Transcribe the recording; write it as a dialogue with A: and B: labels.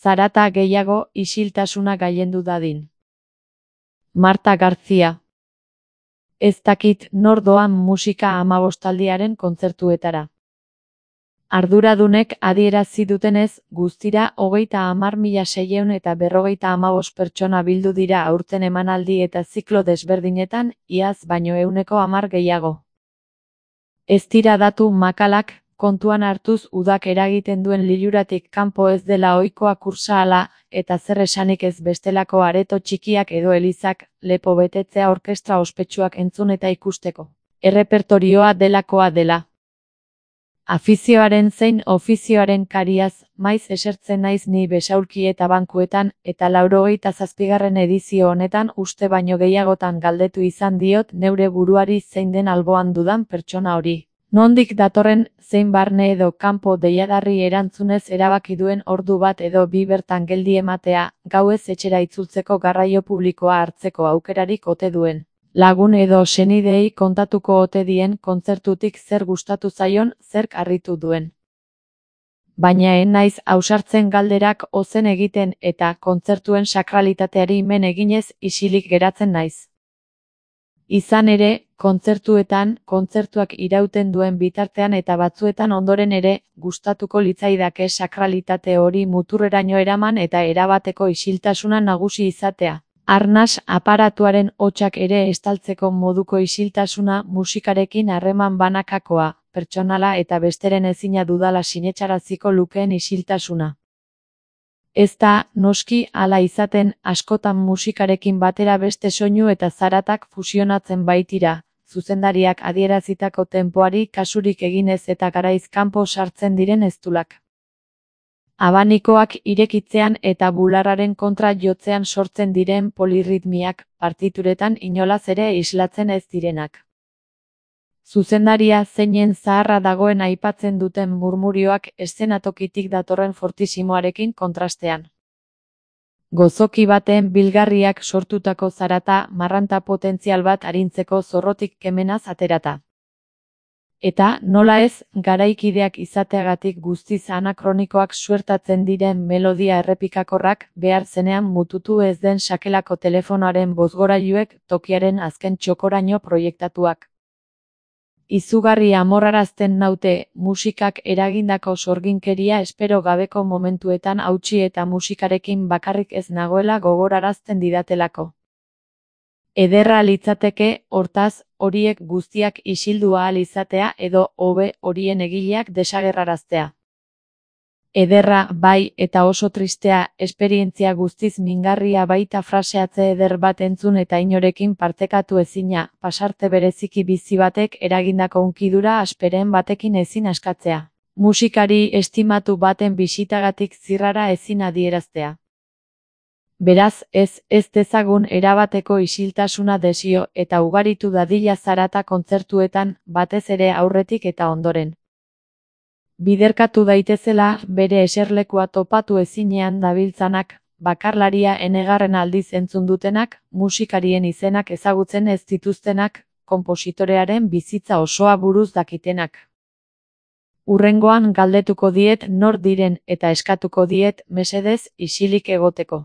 A: zarata gehiago isiltasuna gailendu dadin. Marta García. Ez dakit nor doan musika 15aldiaren kontzertuetara. Arduradunek adierazi dutenez, guztira 30.645 pertsona bildu dira aurten emanaldi eta ziklo desberdinetan, iaz baino 110 gehiago. Ez dira datu makalak, kontuan hartuz udak eragiten duen liluratik kanpo ez dela ohikoa kursaala, eta zer esanik ez bestelako areto txikiak edo elizak, lepo betetzea orkestra ospetsuak entzun eta ikusteko. Errepertorioa delakoa dela. Afizioaren zein ofizioaren kariaz, maiz esertzen naiz ni besaulki eta bankuetan, eta 97. edizio honetan uste baino gehiagotan galdetu izan diot neure buruari zein den alboan dudan pertsona hori. Nondik datorren, zein barne edo kanpo deiadarri erantzunez erabaki duen ordu bat edo bi bertan geldi ematea, gauez etxera itzultzeko garraio publikoa hartzeko aukerarik ote duen. Lagun edo senideei kontatuko ote dien kontzertutik zer gustatu zaion, zerk harritu duen. Baina ez naiz ausartzen galderak ozen egiten eta kontzertuen sakralitateari men eginez isilik geratzen naiz. Izan ere, kontzertuak irauten duen bitartean eta batzuetan ondoren ere, gustatuko litzaidake sakralitate hori muturreraino eraman eta erabateko isiltasuna nagusi izatea. Arnas aparatuaren hotsak ere estaltzeko moduko isiltasuna, musikarekin harreman banakakoa, pertsonala eta besteren ezina dudala sinetsaraziko lukeen isiltasuna. Ez da, noski, hala izaten, askotan musikarekin batera beste soinu eta zaratak fusionatzen baitira, zuzendariak adierazitako tenpoari kasurik eginez eta garaiz kanpo sartzen diren eztulak. Abanikoak irekitzean eta bularraren kontra jotzean sortzen diren polirritmiak, partituretan inolaz ere islatzen ez direnak. Zuzendaria zeinen zaharra dagoen aipatzen duten murmurioak eszenatokitik datorren fortissimoarekin kontrastean. Gozoki baten bilgarriak sortutako zarata, marranta potentzial bat arintzeko zorrotik kemenaz aterata. Eta, nola ez, garaikideak izateagatik guztiz anakronikoak suertatzen diren melodia errepikakorrak, behar zenean mututu ez den sakelako telefonoaren bozgorailuek tokiaren azken txokoraino proiektatuak. Izugarri amorrarazten naute, musikak eragindako sorginkeria espero gabeko momentuetan hautsi eta musikarekin bakarrik ez nagoela gogorarazten didatelako. Ederra litzateke, hortaz, horiek guztiak isildu ahal izatea edo hobe horien egileak desagerraraztea. Ederra, bai, eta oso tristea, esperientzia guztiz mingarria baita fraseatze eder bat entzun eta inorekin partekatu ezina, pasarte bereziki bizi batek eragindako hunkidura asperen batekin ezin askatzea. Musikari estimatu baten bisitagatik zirrara ezin adieraztea. Beraz, ez dezagun erabateko isiltasuna desio eta ugaritu dadila zarata kontzertuetan, batez ere aurretik eta ondoren. Biderkatu daitezela, bere eserlekua topatu ezinean dabiltzanak, bakarlaria enegarren aldiz entzun dutenak, musikarien izenak ezagutzen ez dituztenak, konpositorearen bizitza osoa buruz dakitenak. Hurrengoan galdetuko diet nor diren eta eskatuko diet, mesedez, isilik egoteko.